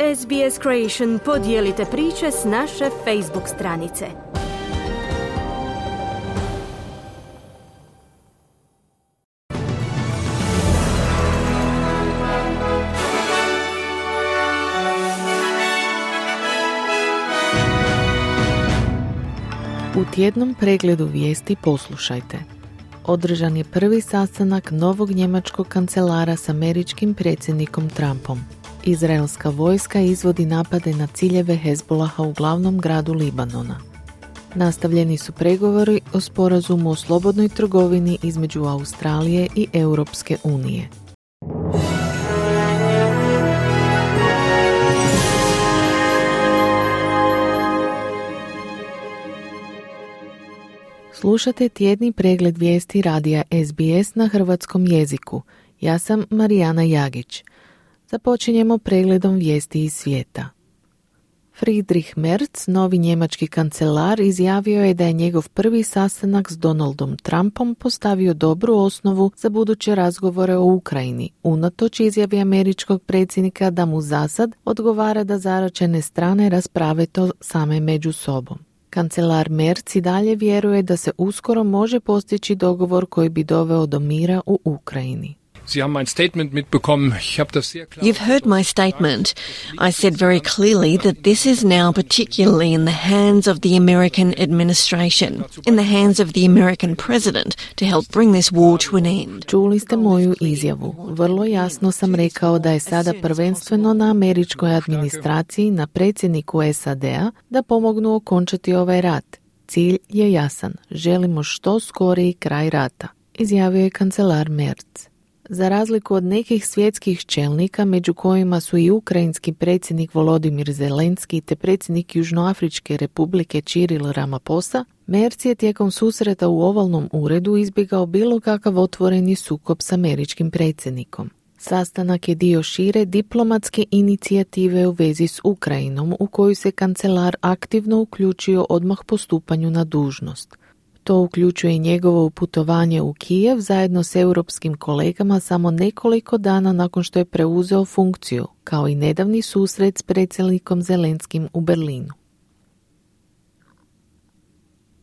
SBS Creation, podijelite priče s naše Facebook stranice. U tjednom pregledu vijesti poslušajte. Održan je prvi sastanak novog njemačkog kancelara s američkim predsjednikom Trumpom. Izraelska vojska izvodi napade na ciljeve Hezbolaha u glavnom gradu Libanona. Nastavljeni su pregovori o sporazumu o slobodnoj trgovini između Australije i Europske unije. Slušate tjedni pregled vijesti radija SBS na hrvatskom jeziku. Ja sam Marijana Jagić. Započinjemo pregledom vijesti iz svijeta. Friedrich Merz, novi njemački kancelar, izjavio je da je njegov prvi sastanak s Donaldom Trumpom postavio dobru osnovu za buduće razgovore o Ukrajini, unatoč izjavi američkog predsjednika da mu zasad odgovara da zaraćene strane rasprave to same među sobom. Kancelar Merz i dalje vjeruje da se uskoro može postići dogovor koji bi doveo do mira u Ukrajini. You've heard my statement. I said very clearly that this is now particularly in the hands of the American administration, in the hands of the American president, to help bring this war to an end. Čuli ste moju izjavu. Vrlo jasno sam rekao da je sada prvenstveno na američkoj administraciji, na predsjedniku SAD-a, da pomognu okončati ovaj rat. Cilj je jasan. Želimo što skoriji kraj rata, izjavio je kancelar Merz. Za razliku od nekih svjetskih čelnika, među kojima su i ukrajinski predsjednik Volodymyr Zelenski te predsjednik Južnoafričke republike Cyril Ramaphosa, Merz je tijekom susreta u ovalnom uredu izbjegao bilo kakav otvoreni sukob s američkim predsjednikom. Sastanak je dio šire diplomatske inicijative u vezi s Ukrajinom, u koju se kancelar aktivno uključio odmah po stupanju na dužnost. To uključuje njegovo putovanje u Kijev zajedno s europskim kolegama samo nekoliko dana nakon što je preuzeo funkciju, kao i nedavni susret s predsjednikom Zelenskim u Berlinu.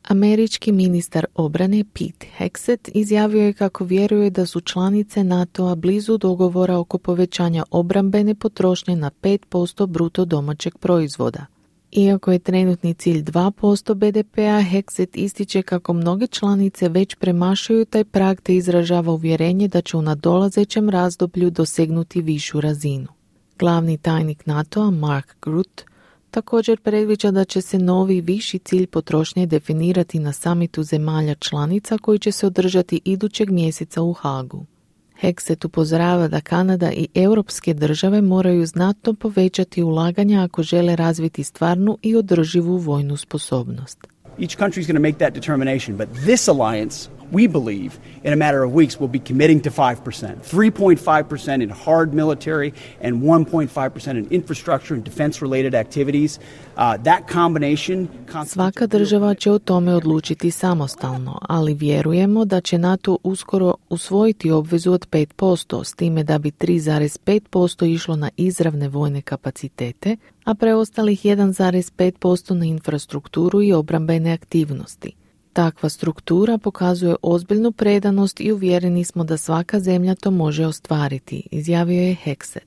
Američki ministar obrane Pete Hegseth izjavio je kako vjeruje da su članice NATO-a blizu dogovora oko povećanja obrambene potrošnje na 5% bruto domaćeg proizvoda. Iako je trenutni cilj 2% BDP-a, Hegseth ističe kako mnoge članice već premašuju taj prag te izražava uvjerenje da će u nadolazećem razdoblju dosegnuti višu razinu. Glavni tajnik NATO-a Mark Rutte također predviđa da će se novi viši cilj potrošnje definirati na samitu zemalja članica koji će se održati idućeg mjeseca u Hagu. Hegseth upozorava da Kanada i europske države moraju znatno povećati ulaganja ako žele razviti stvarnu i održivu vojnu sposobnost. Each country is going to make that determination, but this alliance, we believe, in a matter of weeks will be committing to 5%. 3.5% in hard military and 1.5% in infrastructure and defense-related activities. That combination... Svaka država će o tome odlučiti samostalno, ali vjerujemo da će NATO uskoro usvojiti obvezu od 5%, s time da bi 3,5% išlo na izravne vojne kapacitete, a preostalih 1,5% na infrastrukturu i obrambene aktivnosti. Takva struktura pokazuje ozbiljnu predanost i uvjereni smo da svaka zemlja to može ostvariti, izjavio je Hegseth.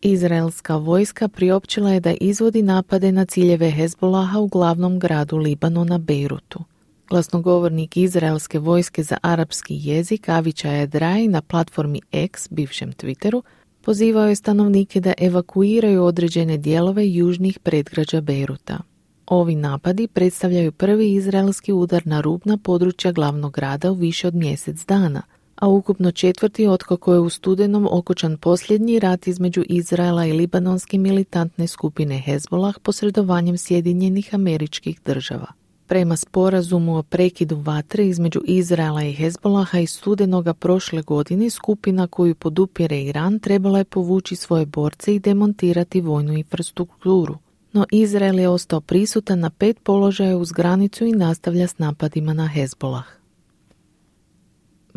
Izraelska vojska priopćila je da izvodi napade na ciljeve Hezbolaha u glavnom gradu Libanona, Bejrutu. Glasnogovornik izraelske vojske za arapski jezik Avichai Edrahi na platformi X, bivšem Twitteru, pozivao je stanovnike da evakuiraju određene dijelove južnih predgrađa Bejruta. Ovi napadi predstavljaju prvi izraelski udar na rubna područja glavnog grada u više od mjesec dana, a ukupno četvrti otkako je u studenom okončan posljednji rat između Izraela i libanonske militantne skupine Hezbolah posredovanjem Sjedinjenih Američkih Država. Prema sporazumu o prekidu vatre između Izraela i Hezbolaha iz studenoga prošle godine, skupina koju podupire Iran trebala je povući svoje borce i demontirati vojnu infrastrukturu. No Izrael je ostao prisutan na 5 položaja uz granicu i nastavlja s napadima na Hezbolah.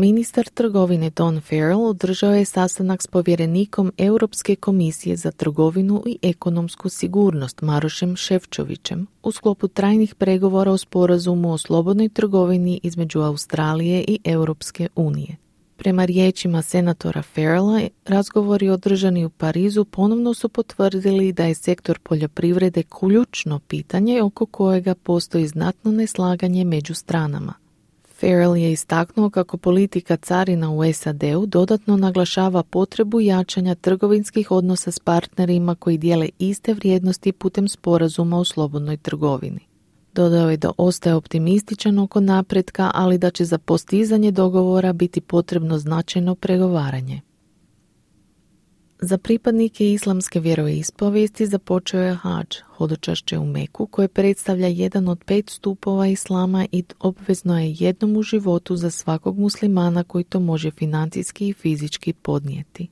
Ministar trgovine Don Farrell održao je sastanak s povjerenikom Europske komisije za trgovinu i ekonomsku sigurnost Marošem Šefčovićem u sklopu trajnih pregovora o sporazumu o slobodnoj trgovini između Australije i Europske unije. Prema riječima senatora Farrella, razgovori održani u Parizu ponovno su potvrdili da je sektor poljoprivrede ključno pitanje oko kojega postoji znatno neslaganje među stranama. Farrell je istaknuo kako politika carina u SAD-u dodatno naglašava potrebu jačanja trgovinskih odnosa s partnerima koji dijele iste vrijednosti putem sporazuma o slobodnoj trgovini. Dodao je da ostaje optimističan oko napretka, ali da će za postizanje dogovora biti potrebno značajno pregovaranje. Za pripadnike islamske vjeroispovijesti započeo je hadž, hodočašće u Meku, koje predstavlja jedan od 5 stupova islama i obvezno je jednom u životu za svakog muslimana koji to može financijski i fizički podnijeti.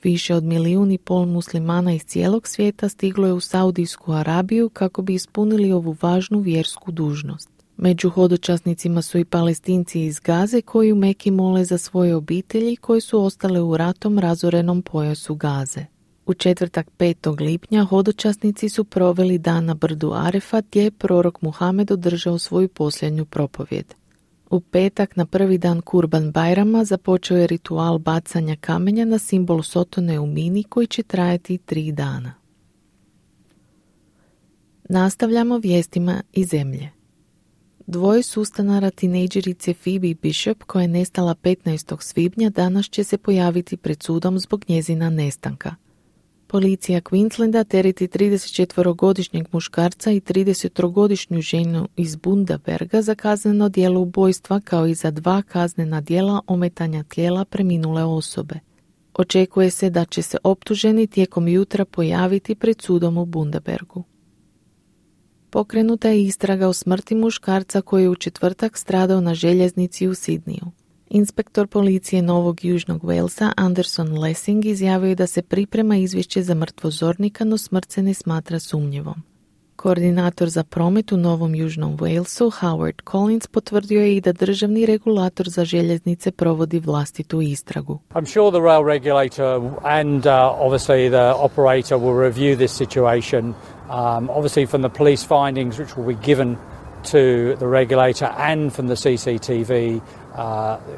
Više od 1,5 milijuna muslimana iz cijelog svijeta stiglo je u Saudijsku Arabiju kako bi ispunili ovu važnu vjersku dužnost. Među hodočasnicima su i Palestinci iz Gaze koji u Meki mole za svoje obitelji koje su ostale u ratom razorenom pojasu Gaze. U četvrtak 5. lipnja hodočasnici su proveli dan na brdu Arefat gdje je prorok Muhamed održao svoju posljednju propovjed. U petak na prvi dan Kurban Bajrama započeo je ritual bacanja kamenja na simbol Sotone u Mini koji će trajati 3 dana. Nastavljamo vijestima iz zemlje. 2 sustanara tinejdžerice Phoebe Bishop koja je nestala 15. svibnja danas će se pojaviti pred sudom zbog njezina nestanka. Policija Queenslanda tereti 34-godišnjeg muškarca i 33-godišnju ženu iz Bundaberga za kazneno djelo ubojstva kao i za 2 kaznena djela ometanja tijela preminule osobe. Očekuje se da će se optuženi tijekom jutra pojaviti pred sudom u Bundabergu. Pokrenuta je istraga o smrti muškarca koji je u četvrtak stradao na željeznici u Sidniju. Inspektor policije Novog Južnog Walesa Anderson Lessing izjavio je da se priprema izvješće za mrtvozornika, no smrt se ne smatra sumnjivom. Koordinator za promet u Novom Južnom Walesu Howard Collins potvrdio je i da državni regulator za željeznice provodi vlastitu istragu. I'm sure the rail regulator and obviously the operator will review this situation. Obviously from the police findings which will be given to the regulator and from the CCTV,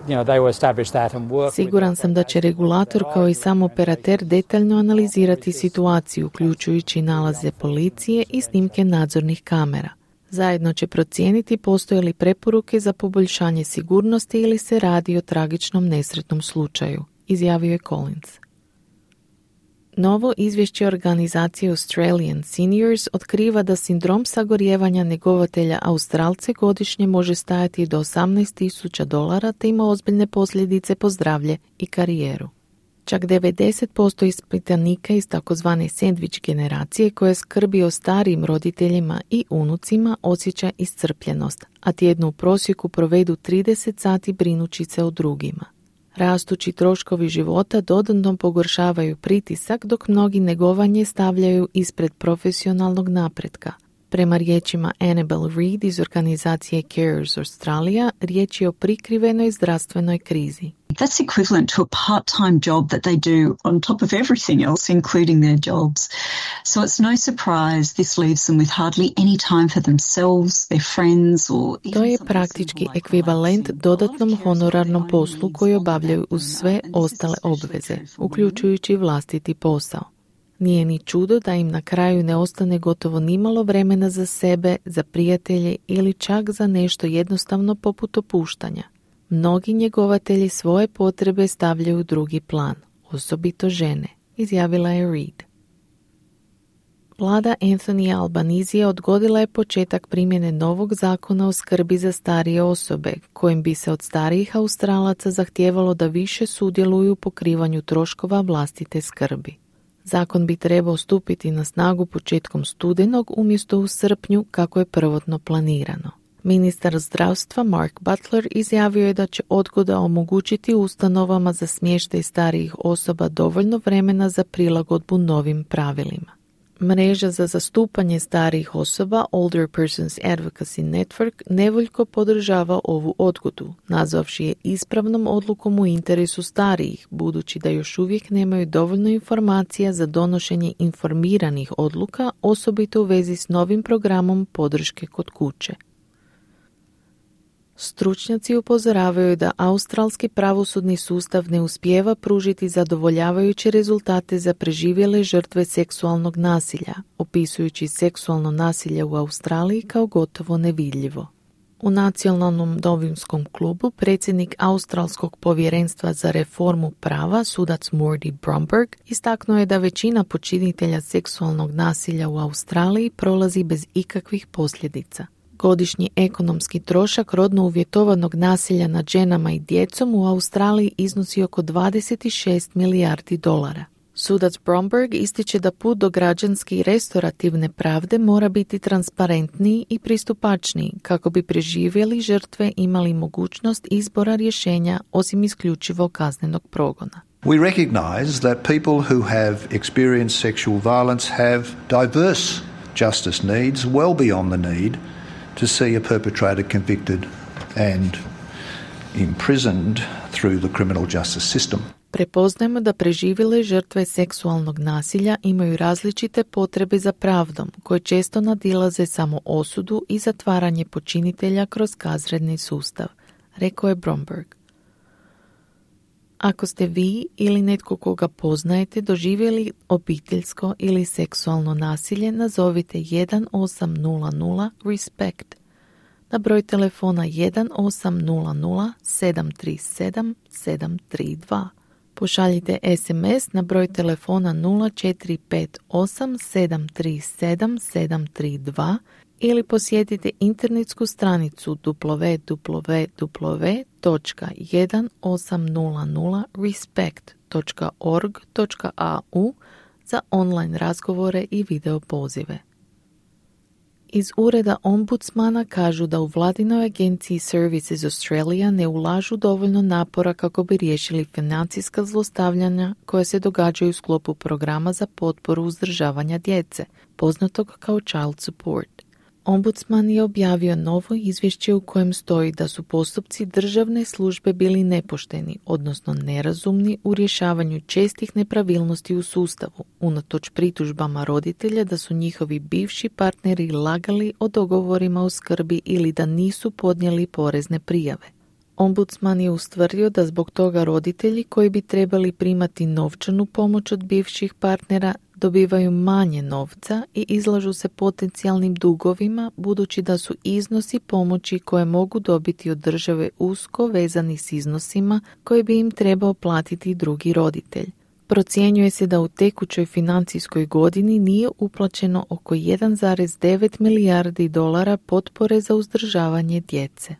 they will establish that and work. Siguran sam da će regulator kao i sam operater detaljno analizirati situaciju, uključujući nalaze policije i snimke nadzornih kamera. Zajedno će procijeniti postoje li preporuke za poboljšanje sigurnosti ili se radi o tragičnom nesretnom slučaju, izjavio je Collins. Novo izvješće organizacije Australian Seniors otkriva da sindrom sagorijevanja njegovatelja Australce godišnje može stajati do $18,000 te ima ozbiljne posljedice po zdravlje i karijeru. Čak 90% ispitanika iz takozvane sandvič generacije koja skrbi o starijim roditeljima i unucima osjeća iscrpljenost, a tjedno u prosjeku provedu 30 sati brinući se o drugima. Rastući troškovi života dodatno pogoršavaju pritisak, dok mnogi njegovanje stavljaju ispred profesionalnog napretka. Prema riječima Annabelle Reid iz organizacije Carers Australia, riječ je o prikrivenoj zdravstvenoj krizi. That's equivalent to a part-time job that they do on top of everything else, including their jobs. So it's no surprise this leaves them with hardly any time for themselves, their friends or even to je praktički ekvivalent dodatnom honorarnom poslu koji obavljaju uz sve ostale obveze, uključujući vlastiti posao. Nije ni čudo da im na kraju ne ostane gotovo nimalo vremena za sebe, za prijatelje ili čak za nešto jednostavno poput opuštanja. Mnogi njegovatelji svoje potrebe stavljaju u drugi plan, osobito žene, izjavila je Reid. Vlada Anthony Albanese odgodila je početak primjene novog zakona o skrbi za starije osobe, kojim bi se od starijih Australaca zahtijevalo da više sudjeluju u pokrivanju troškova vlastite skrbi. Zakon bi trebao stupiti na snagu početkom studenog umjesto u srpnju kako je prvotno planirano. Ministar zdravstva Mark Butler izjavio je da će odgoda omogućiti ustanovama za smještaj starijih osoba dovoljno vremena za prilagodbu novim pravilima. Mreža za zastupanje starijih osoba Older Persons Advocacy Network nevoljko podržava ovu odgodu, nazvavši je ispravnom odlukom u interesu starijih, budući da još uvijek nemaju dovoljno informacija za donošenje informiranih odluka, osobito u vezi s novim programom podrške kod kuće. Stručnjaci upozoravaju da australski pravosudni sustav ne uspijeva pružiti zadovoljavajuće rezultate za preživjele žrtve seksualnog nasilja, opisujući seksualno nasilje u Australiji kao gotovo nevidljivo. U Nacionalnom novinskom klubu predsjednik Australskog povjerenstva za reformu prava, sudac Mordy Bromberg, istaknuo je da većina počinitelja seksualnog nasilja u Australiji prolazi bez ikakvih posljedica. Godišnji ekonomski trošak rodno uvjetovanog nasilja nad ženama i djecom u Australiji iznosi oko 26 milijardi dolara. Sudac Bromberg ističe da put do građanske i restorativne pravde mora biti transparentniji i pristupačniji kako bi preživjeli žrtve imali mogućnost izbora rješenja osim isključivo kaznenog progona. We recognize that people who have experienced sexual violence have diverse justice needs well beyond the need to see a perpetrator convicted and imprisoned through the criminal justice system. Prepoznajemo da preživjele žrtve seksualnog nasilja imaju različite potrebe za pravdom, koje često nadilaze samo osudu i zatvaranje počinitelja kroz kazneni sustav, rekao je Bromberg. Ako ste vi ili netko koga poznajete doživjeli obiteljsko ili seksualno nasilje, nazovite 1800 RESPECT na broj telefona 1800 737 732. Pošaljite SMS na broj telefona 0458 737 732 ili posjetite internetsku stranicu www.1800respect.org.au za online razgovore i video pozive. Iz ureda ombudsmana kažu da u vladinoj agenciji Services Australia ne ulažu dovoljno napora kako bi riješili financijska zlostavljanja koja se događaju u sklopu programa za potporu uzdržavanja djece, poznatog kao Child Support. Ombudsman je objavio novo izvješće u kojem stoji da su postupci državne službe bili nepošteni, odnosno nerazumni u rješavanju čestih nepravilnosti u sustavu, unatoč pritužbama roditelja da su njihovi bivši partneri lagali o dogovorima o skrbi ili da nisu podnijeli porezne prijave. Ombudsman je ustvrdio da zbog toga roditelji koji bi trebali primati novčanu pomoć od bivših partnera dobivaju manje novca i izlažu se potencijalnim dugovima budući da su iznosi pomoći koje mogu dobiti od države usko vezani s iznosima koje bi im trebao platiti drugi roditelj. Procjenjuje se da u tekućoj financijskoj godini nije uplaćeno oko 1,9 milijardi dolara potpore za uzdržavanje djece.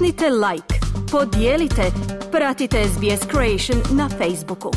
Kliknite like, podijelite, pratite SBS Creation na Facebooku.